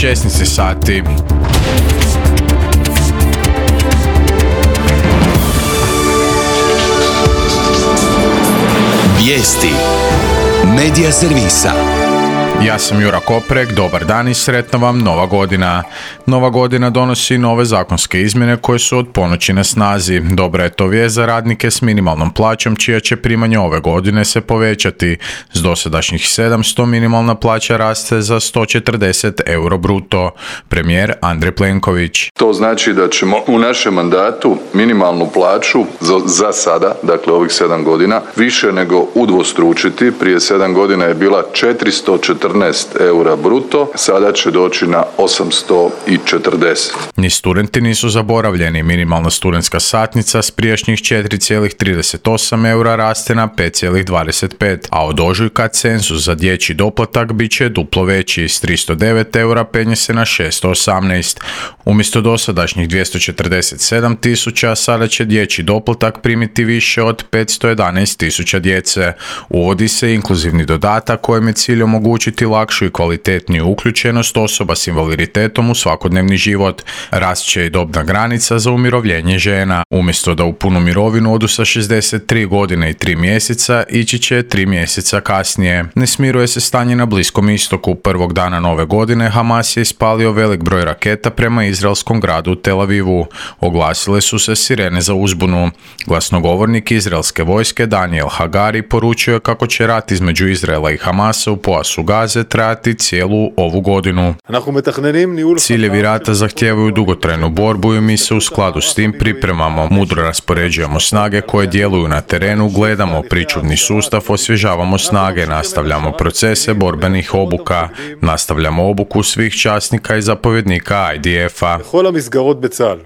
16 sati. Vijesti Medija servisa. Ja sam Jura Koprek, dobar dan i sretna vam Nova godina. Nova godina donosi nove zakonske izmjene koje su od ponoći na snazi. Dobra je to vijest za radnike s minimalnom plaćom čija će primanje ove godine se povećati. S dosadašnjih 700 minimalna plaća raste za 140 euro bruto. Premijer Andrej Plenković. To znači da ćemo u našem mandatu minimalnu plaću za sada, dakle ovih 7 godina, više nego udvostručiti. Prije 7 godina je bila 414 eura bruto, sada će doći na 840. Ni studenti nisu zaboravljeni. Minimalna studentska satnica s prijašnjih 4,38 eura raste na 5,25, a od ožujka cenzus za dječji doplatak bit će duplo veći, s 309 eura penje se na 618. Umjesto dosadašnjih 247 tisuća, sada će dječji doplatak primiti više od 511 tisuća djece. Uvodi se inkluzivni dodatak kojem je cilj omogućiti lakšu i kvalitetniju uključenost osoba s invaliditetom u svakodnevni život. Rast će i dobna granica za umirovljenje žena. Umjesto da u punu mirovinu odu sa 63 godine i 3 mjeseca, ići će 3 mjeseca kasnije. Ne smiruje se stanje na Bliskom istoku. Prvog dana nove godine Hamas je ispalio velik broj raketa prema izraelskom gradu Tel Avivu. Oglasile su se sirene za uzbunu. Glasnogovornik izraelske vojske Daniel Hagari poručio je kako će rat između Izraela i Hamasa u pojasu Gaze trajati cijelu ovu godinu. Ciljevi rata zahtijevaju dugotrajnu borbu i mi se u skladu s tim pripremamo. Mudro raspoređujemo snage koje djeluju na terenu, gledamo pričuvni sustav, osvježavamo snage, nastavljamo procese borbenih obuka, nastavljamo obuku svih časnika i zapovjednika IDF-a.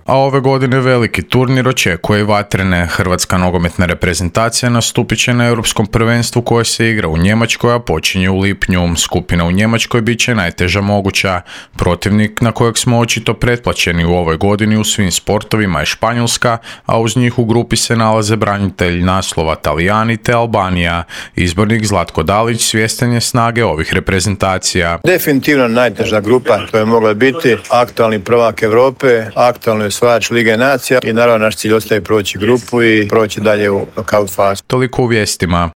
A ove godine veliki turnir očekuje i vatrene. Hrvatska nogometna reprezentacija nastupit će na Europskom prvenstvu koje se igra u Njemačkoj, a počinje u lipnju. Skupina u Njemačkoj bit će najteža moguća. Protivnik na kojeg smo očito pretplaćeni u ovoj godini u svim sportovima je Španjolska, a uz njih u grupi se nalaze branitelj naslova Talijani te Albanija. Izbornik Zlatko Dalić svjestan je snage ovih reprezentacija. Definitivno najteža grupa, to je mogla biti aktualni prvak Europe, aktualni osvajač Lige nacija i naravno naš cilj ostaje proći grupu i proći dalje u knockout fazu. Toliko u vijestima.